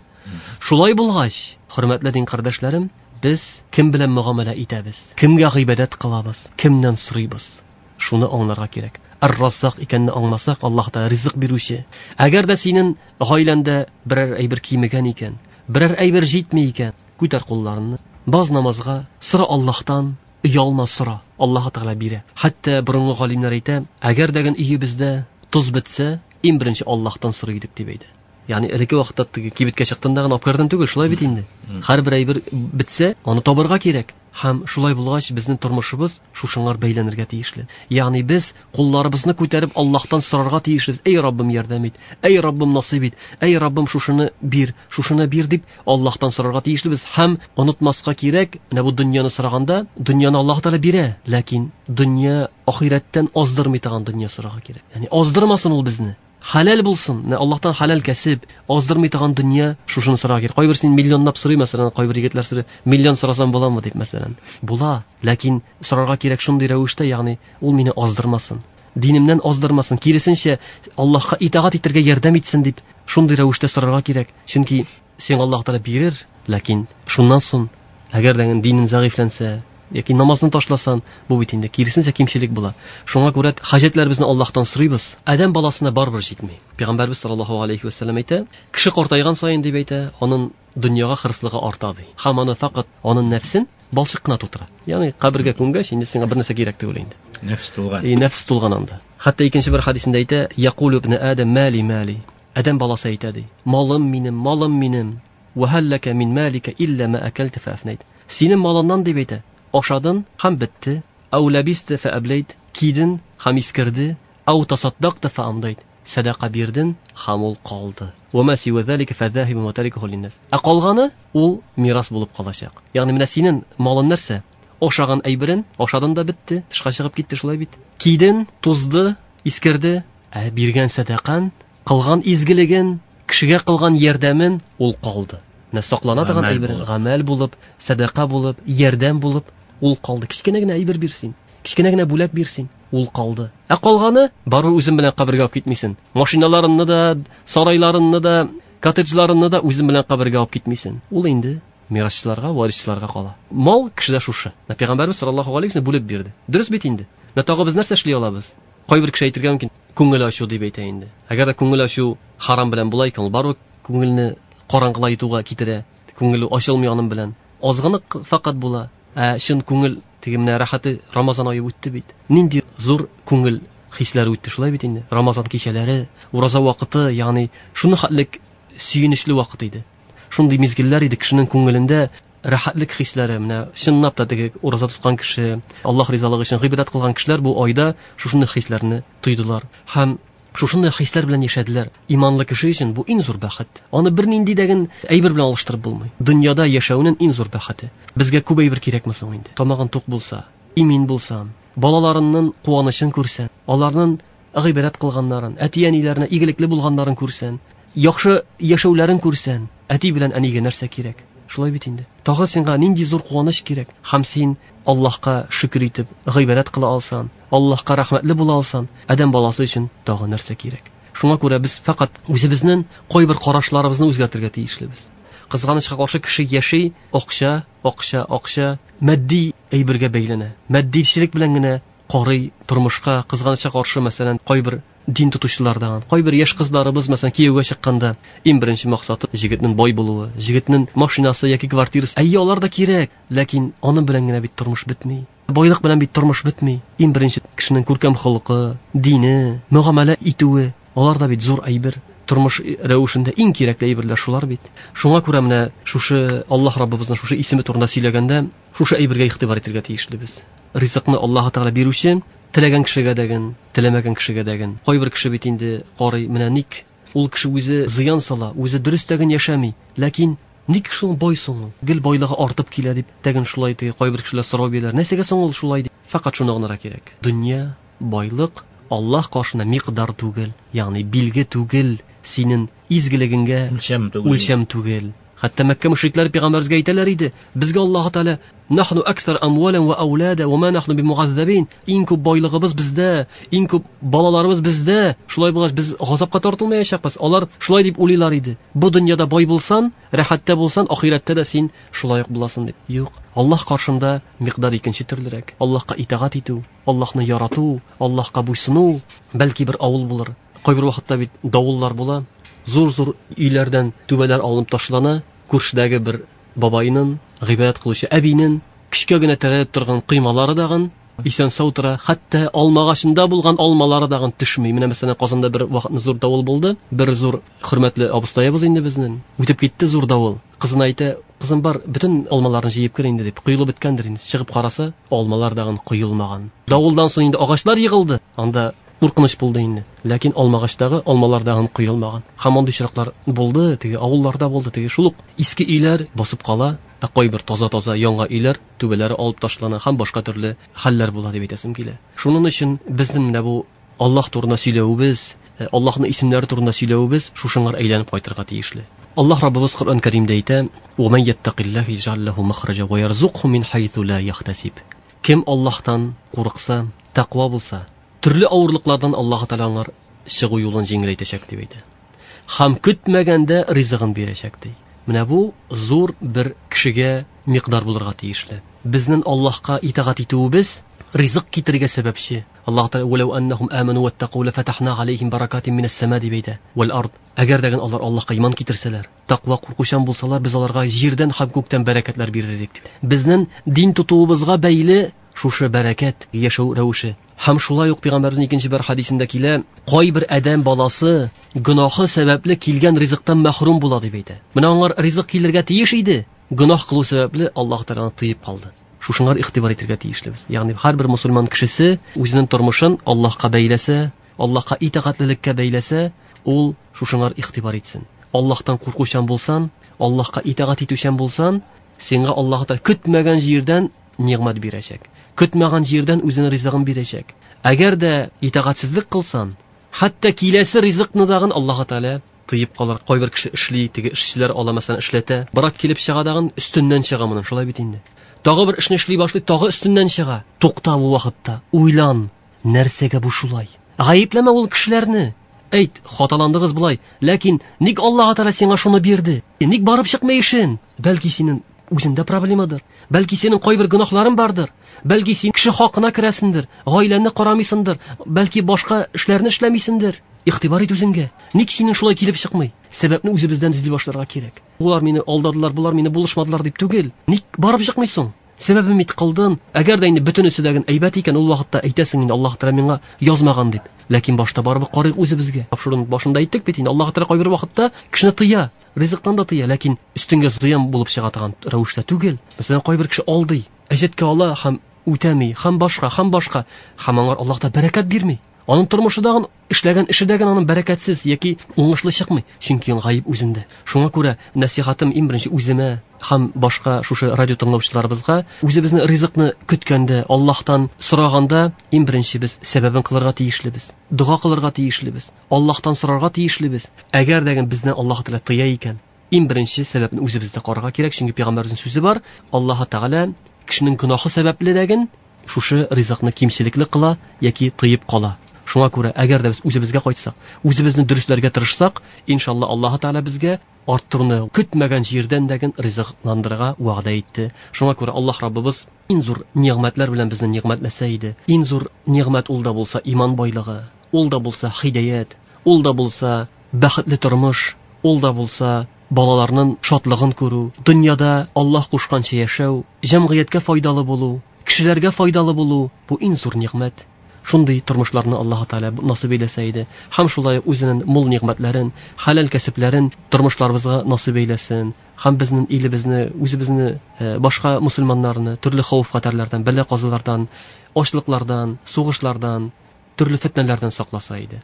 Шулай булгач, хөрмәтле дин кардәшләрем, без кем белән мөгамәлә итәбез, кемгә гыйбадәт кылабыз, кемнән сорыйбыз? Шуны аңларга кирәк. Ар-Раззак икәнне аңласак, Аллаһ Тәгалә ризык бирүче. Әгәр дә синең гаиләңдә берәр әйбер кимегән икән, берәр әйбер җитми икән, күтәр кулларыңны, баз намазга, сора Аллаһтан, оялма сора, Аллаһ Тәгалә бирә. Хәтта борынгы галимнәр әйтә, әгәр дә өебездә тоз бетсә, иң беренче Аллаһтан сорый идек дип әйтә. Ягъни элекке вакытта кибеткә чыктың да гына алып кердең түгел, шулай бит инде. Һәрбер әйбер бетсә, аны табырга кирәк. Һәм шулай булгач, безнең тормышыбыз шушыңар бәйләнергә тиешле. Ягъни без кулларыбызны күтәреп Аллаһтан сорарга тиешлебез. Эй Раббым, ярдәм ит. Эй Раббым, насыйп ит. Эй Раббым, шушыны бир, шушыны бир дип Аллаһтан сорарга тиешлебез. Һәм онытмаска кирәк, менә бу дөньяны сораганда, дөньяны Аллаһ Тәгалә бирә, ләкин дөнья ахирәттән аздырмый торган дөнья сорарга кирәк. Ягъни аздырмасын ул безне. Хәләл булсын, менә Аллаһтан хәләл кәсеп, аздырмый торган дөнья, шушыны сорарга кирәк. Кайбер син миллионлап сорый, мәсәлән, кайбер егетләр сорый, миллион сорасам буламы дип, мәсәлән. Була, ләкин сорарга кирәк шундый рәвештә, ягъни ул мине аздырмасын, динемнән аздырмасын, киресенчә Аллаһка итагать итәргә ярдәм итсен дип, шундый рәвештә сорарга кирәк. Чөнки сиңа Аллаһ Тәгалә бирер, ләкин шуннан соң, әгәр дә динең зәгыйфьләнсә, яки намазны ташласан, бу бит инде киресенчә кимчелек була. Шуңа күрә хаҗәтләребезне Аллаһтан сорыйбыз. Адәм баласына барыбер җитми. Пәйгамбәрбез саллаллаһу алейхи ва саллям әйтә, кеше картайган саен дип әйтә, аның дөньяга хырыслыгы арта ди. Һәм аны фақат аның нәфсен балчык кына тутыра. Ягъни кабергә күмгәч, инде сиңа бер нәрсә кирәк түгел инде. Нәфс тулган. И нәфс тулган анда. Хәтта икенче бер хадисендә әйтә, Якулу ибн Адам мали мали. Адәм баласы әйтә ди, малым минем, малым минем. Ва һәлләкә мин малика илля ма акалта фа афнайт. Синең малыңнан дип әйтә, ашадың һәм бетте. Ау лабисте фа аблайт, кидең һәм искерде. Ау тасаддакта фа амдайт, садака бирдең һәм ул калды. Ва ма сива залика фа захибун ва тарикуху линнас. Ә калганы ул мирас булып калачак. Ягъни менә синең малың нәрсә? Ашаган әйберең, ашадың да бетте, тышка чыгып китте, шулай бит. Кидең, тузды, искерде. Ә биргән садакаң, кылган изгелеген, кешегә кылган ярдәмен ул калды. Менә саклана торган әйбер, гамәл булып, садака булып, ярдәм булып ул калды. Кечкенә генә әйбер бирсен, кечкенә генә бүләк бирсен, ул калды. Ә калганы барыбер үзең белән кабергә алып китмисең. Машиналарыңны да, сарайларыңны да, коттеджларыңны да үзең белән кабергә алып китмисең. Ул инде мирасчыларга, варисчыларга кала. Мал кешедә шушы. Менә Пәйгамбәрбез саллаллаһу алейһи ва саллям бүлеп бирде. Дөрес бит инде. Менә тагы без нәрсә эшли алабыз? Кайбер кеше әйтергә мөмкин, күңел ачу дип әйтә инде. Әгәр дә күңел ачу харам белән була икән, ул барыбер күңелне караңгылайтуга китерә. Күңел ачылмый аның белән. Азгынлык фақат була. Ә чын күңел теге менә рәхәте Рамазан ае үтте бит. Нинди зур күңел хисләре үтте шулай бит инде. Рамазан кичәләре, ураза вакыты, ягъни шуны хәтлек сөенечле вакыт иде. Шундый мизгелләр иде кешенең күңелендә рәхәтлек хисләре. Менә чынлап та теге ураза тоткан кеше, Аллаһ ризалыгы өчен гыйбадәт кылган кешеләр бу айда шушындый хисләрне тойдылар һәм шушындый хисләр белән яшәделәр. Иманлы кеше өчен бу иң зур бәхет. Аны бернинди дәген әйбер белән алыштырып булмый. Дөньяда яшәүнең иң зур бәхете. Безгә күп әйбер кирәкме соң инде? Тамагың тук булса, имин булсаң, балаларыңның куанычын күрсәң, аларның гыйбадәт кылганнарын, әти-әниләренә игелекле булганнарын күрсәң, яхшы яшәүләрен күрсәң, әти белән әнигә нәрсә кирәк? Шулай бит инде. Тагы сиңа нинди зур куаныч кирәк? Һәм син Аллаһка шөкер итеп гыйбадәт кыла алсаң, Аллаһка рәхмәтле була алсаң, адәм баласы өчен тагы нәрсә кирәк? Шуңа күрә без фақат үзебезнең кайбер карашларыбызны үзгәртергә тиешлебез. Кызганычка каршы кеше яши, акча, акча, акча, матди әйбергә бәйләнә. Матдичелек белән генә карый тормышка. Кызганычка каршы, мәсәлән, кайбер дин тотучылардан, кайбер яшь кызларыбыз, мәсәлән, кияүгә чыкканда иң беренче максаты җегетнең бай булуы, җегетнең машинасы яки квартирасы. Әйе, алар да кирәк, ләкин аның белән генә бит тормыш бетми. Байлык белән бит тормыш бетми. Иң беренче кешенең күркәм холкы, дине, мөгамәлә итүе, алар да бит зур әйбер. Тормыш рәвешендә иң кирәкле әйберләр шулар бит. Шуңа күрә менә шушы Аллаһ Раббыбызның шушы исеме турында сөйләгәндә, шушы әйбергә игътибар итәргә тиешлебез. Ризыкны Аллаһ Тәгалә бирүче, теләгән кешегә дәген, теләмәгән кешегә дәген. Кайбер кеше бит инде карый, менә ник ул кеше үзе зыян сала, үзе дөрес тәген яшәми, ләкин ник шул бай соң ул? Гел байлыгы артып килә дип, тәген шулай ди, кайбер кешеләр сорау бирәләр. Нәрсәгә соң ул шулай дип? Фәкать шуны гына кирәк. Дөнья, байлык Аллаһ каршында микъдар түгел, ягъни билге түгел, синең изгелегеңгә үлчәм түгел. Үлчәм түгел. Хәтта Мәккә мөшрикләре пәйгамбәребезгә әйтәләр иде: "Безгә Аллаһ Тәгалә нахну аксар амвалан ва аулада ва ма нахну бимугаззабин". Иң күп байлыгыбыз бездә, иң күп балаларыбыз бездә. Шулай булгач без газапка тартылмаячакбыз. Алар шулай дип уйлыйлар иде. Бу дөньяда бай булсан, рәхәттә булсан, ахирәттә дә син шулай ук буласың дип. Юк, Аллаһ каршында микъдар икенче төрлерәк. Аллаһка итагать итү, Аллаһны ярату, Аллаһка буйсыну, бәлки бер авыл булыр. Кайбер вакытта бит давыллар була. Зур-зур өйләрдән түбәләр алынып ташлана. Күршедәге бер бабайның, гыйбадәт кылучы әбинең көчкә генә терәлеп торган коймалары дагын исән сау тора. Хәтта алмагачында булган алмалары дагын төшми. Менә мәсәлән, Казанда бер вакытны зур давыл булды. Бер зур хөрмәтле абыстаебыз инде безнең. Үтеп китте зур давыл. Кызына әйтә: "Кызым, бар, бөтен алмаларны җыеп кер инде" дип. Коелып беткәндер инде. Чыгып караса, алмалар дагын коелмаган. Давылдан соң инде агачлар егылды. Анда куркыныч булды инде. Ләкин алмагачтагы алмалар дагын коелмаган. Һәм андый очраклар булды, теге авылларда булды, теге шул ук иске өйләр басып кала, ә кайбер таза-таза яңа өйләр түбәләре алып ташлана һәм башка төрле хәлләр була дип әйтәсем килә. Шуның өчен безнең менә бу Аллаһ турында сөйләвебез, Аллаһның исемнәре турында сөйләвебез шушыңар әйләнеп кайтырга тиешле. Аллаһ Раббыбыз Коръән Кәримдә әйтә: "Ва ман яттакиллаһ яҗ'ал лаху махраҗа ва ярзукху мин хайсу ла яхтасиб". Кем Аллаһтан курыкса, тәкъва булса, төрле авырлыклардан Аллаһ Тәгалә аңар чыгу юлын җиңеләйтәчәк дип әйтә. Һәм көтмәгәндә ризыгын бирәчәк ди. Менә бу зур бер кешегә микъдар булырга тиешле. Безнең Аллаһка итагать итүебез ризык китерергә сәбәпче. Аллаһ Тәгалә «Вәләү әннәһум аману ваттаку лафатахна алейхим баракатин минәс сама» дип әйтә. Вәл ард. Әгәр дә алар Аллаһка иман китерсәләр, тәкъва куркучан булсалар, без аларга җирдән һәм күктән бәрәкәтләр бирер идек дип. Безнең дин тотуыбызга бәйле шушы бәрәкәт, яшәү рәвеше. Һәм шулай ук пәйгамбәребезнең икенче бер хадисендә килә, кайбер адәм баласы гөнаһы сәбәпле килгән ризыктан мәхрүм була дип әйтә. Менә аңар ризык килергә тиеш иде, гөнаһ кылу сәбәпле Аллаһ Тәгалә тыеп калды. Шушыңар игътибар итәргә тиешлебез. Ягъни һәрбер мусульман кешесе үзенең тормышын Аллаһка бәйләсә, Аллаһка итагатьлелеккә бәйләсә, ул шушыңар игътибар итсен. Аллаһтан куркучан булсан, Аллаһка итагать итүчән булсан, сиңа Аллаһ Тәгалә көтмәгән җирдән нигъмәт бирәчәк. Көтмәгән җирдән үзенең ризыгын бирәчәк. Әгәр дә итагатьсезлек кылсан, хәтта киләсе ризыкны дагын Аллаһ Тәгалә тыеп калыр. Кайбер кеше эшли, теге эшчеләр ала, мәсәлән, эшләтә. Брак килеп чыга дагын, өстеннән чыга моның, шулай бит инде. Тагы бер эшне эшли башлый, тагы өстеннән чыга. Тукта бу вакытта, уйлан, нәрсәгә бу шулай? Гаепләмә ул кешеләрне. Әйт, хаталандыгыз болай, ләкин ник Аллаһ Тәгалә сиңа шуны бирде? Ник барып чыкмый эшен? Бәлки синең үзеңдә проблемадыр. Бәлки синең кайбер гөнаһларың бардыр. Бәлки син кеше хакына керәсеңдер, гаиләңне карамыйсыңдыр, бәлки башка эшләрне эшләмисеңдер. Игътибар ит үзеңгә. Ник синең шулай килеп чыкмый? Сәбәпне үзебездән эзли башларга кирәк. Булар мине алдадылар, булар мине булышмадылар дип түгел. Ник барып чыкмыйсың? Сәбәбен бит кылдың. Әгәр дә инде бөтенесе дә әйбәт икән, ул вакытта әйтәсең инде Аллаһ Тәгалә миңа язмаган дип. Ләкин башта барыбер карыйк үзебезгә. Тапшыруның башында әйттек бит инде, Аллаһ Тәгалә кайбер вакытта кешене тыя, ризыктан да тыя, ләкин өстенгә зыян булып чыга торган рәвештә түгел. Мәсәлән, кайбер кеше алдый, әҗәткә ала һәм үтәми, һәм башка, һәм башка, һәм аңар Аллаһ та бәрәкәт бирми. Аның тормышы дагын, эшләгән эше дә аның бәрәкәтсез яки уңышлы чыкмый, чөнки гаеп үзендә. Шуңа күрә нәсихатым иң беренче үземә һәм башка шушы радио тыңлаучыларыбызга, үзебезне ризыкны көткәндә, Аллаһтан сораганда иң беренче без сәбәбен кылырга тиешлебез, дога кылырга тиешлебез, Аллаһтан сорарга тиешлебез. Әгәр дә безне Аллаһ Тәгалә тыя икән, иң беренче сәбәпне үзебездә карарга кирәк, чөнки пәйгамбәребезнең сүзе бар, Аллаһ Тәгалә кешенең гөнаһы сәбәпле дәген шушы ризыкны кимчелекле кыла яки тыеп кала. Шуңа күрә, әгәр дә без үзебезгә кайтсак, үзебезне дөресләргә тырышсак, иншалла Аллаһ Тәгалә безгә Арттыруны көтмәгән җирдән дә ризыкландырырга вәгъдә итте. Шуңа күрә Аллаһ Раббыбыз иң зур нигъмәтләр белән безне нигъмәтләсә иде. Иң зур нигъмәт ул да булса иман байлыгы, ул да булса һидаят, ул да булса бәхетле тормыш, ул да булса балаларның шатлыгын күрү, дөньяда Аллаһ кушканча яшәү, җәмгыятькә файдалы булу, кешеләргә файдалы булу бу иң зур нигъмәт. Шундый тормышларны Аллаһ Тәгалә насыйп әйләсә иде. Һәм шулай үзенең мул нигъмәтләрен, хәләл кәсепләрен тормышларыбызга насыйп әйләсен. Һәм безнең илебезне, үзебезне, башка мусульманнарны төрле хәвеф-хәтәрләрдән, бәла-казалардан, ачлыклардан, сугышлардан, төрле фетнәләрдән сакласа иде.